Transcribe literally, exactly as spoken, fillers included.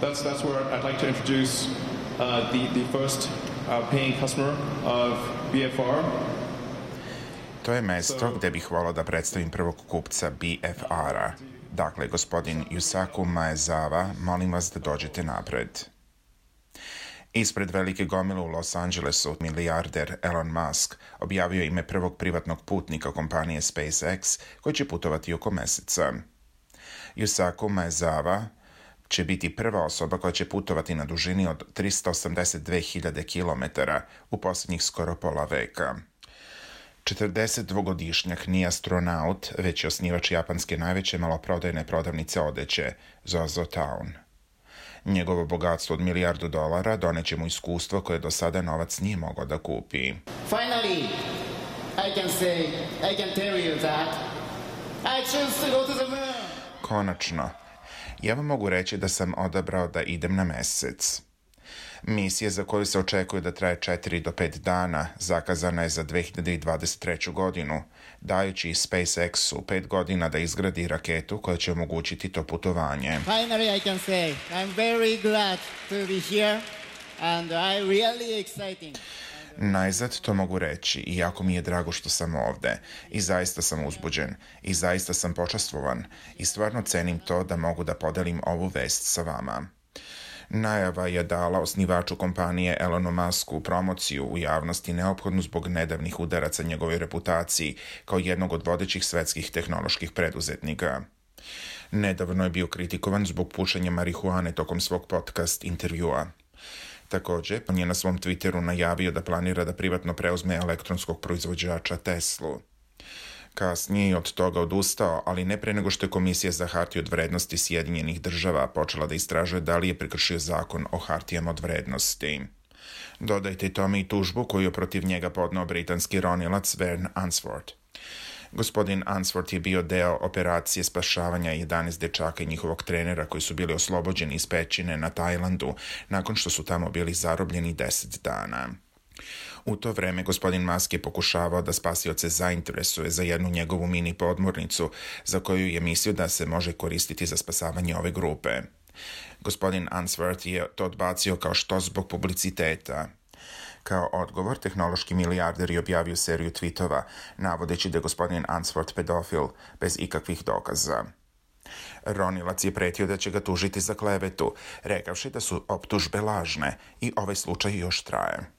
That's that's where I'd like to introduce uh, the the first uh, paying customer of B F R. To je mesto gde bih volao da predstavim prvog kupca B F R-a. Dakle, gospodin Yusaku Maezawa, molim vas da dođete napred. Ispred velike gomile u Los Angelesu, milijarder Elon Musk objavio ime prvog privatnog putnika kompanije SpaceX koji će putovati oko meseca. Yusaku Maezawa će biti prva osoba koja će putovati na dužini od tristo osamdeset dve hiljade kilometara u posljednjih skoro pola veka. četrdesetdvogodišnjak nije astronaut, već je osnivač japanske najveće maloprodajne prodavnice odeće, ZOZOTOWN. Njegovo bogatstvo od milijardu dolara doneće mu iskustvo koje do sada novac nije mogao da kupi. Finally, I can say, I can tell you that I choose to go to the moon. Konačno, ja vam mogu reći da sam odabrao da idem na mesec. Misija za koju se očekuje da traje četiri do pet dana zakazana je za dve hiljade dvadeset treću. godinu, dajući SpaceX-u pet godina da izgradi raketu koja će omogućiti to putovanje. Finally, I can say I'm very glad to be here and I really exciting. Najzad to mogu reći i jako mi je drago što sam ovde i zaista sam uzbuđen i zaista sam počastvovan i stvarno cenim to da mogu da podelim ovu vest sa vama. Najava je dala osnivaču kompanije Elonu Musku promociju u javnosti neophodnu zbog nedavnih udaraca njegovoj reputaciji kao jednog od vodećih svetskih tehnoloških preduzetnika. Nedavno je bio kritikovan zbog pušenja marihuane tokom svog podcast intervjua. Također, on je na svom Twitteru najavio da planira da privatno preuzme elektronskog proizvođača Teslu. Kasnije je od toga odustao, ali ne pre nego što je Komisija za hartije od vrednosti Sjedinjenih država počela da istražuje da li je prekršio zakon o hartijama od vrednosti. Dodajte tome i tužbu koju je protiv njega podneo britanski ronilac Vern Unsworth. Gospodin Unsworth je bio deo operacije spašavanja jedanaest dečaka i njihovog trenera koji su bili oslobođeni iz pećine na Tajlandu nakon što su tamo bili zarobljeni deset dana. U to vreme gospodin Musk je pokušavao da spasioce zainteresuje za jednu njegovu mini podmornicu za koju je mislio da se može koristiti za spasavanje ove grupe. Gospodin Unsworth je to odbacio kao što zbog publiciteta. Kao odgovor, tehnološki milijarder je objavio seriju tweetova, navodeći da je gospodin Unsworth pedofil, bez ikakvih dokaza. Ronilac je pretio da će ga tužiti za klevetu, rekavši da su optužbe lažne i ovaj slučaj još traje.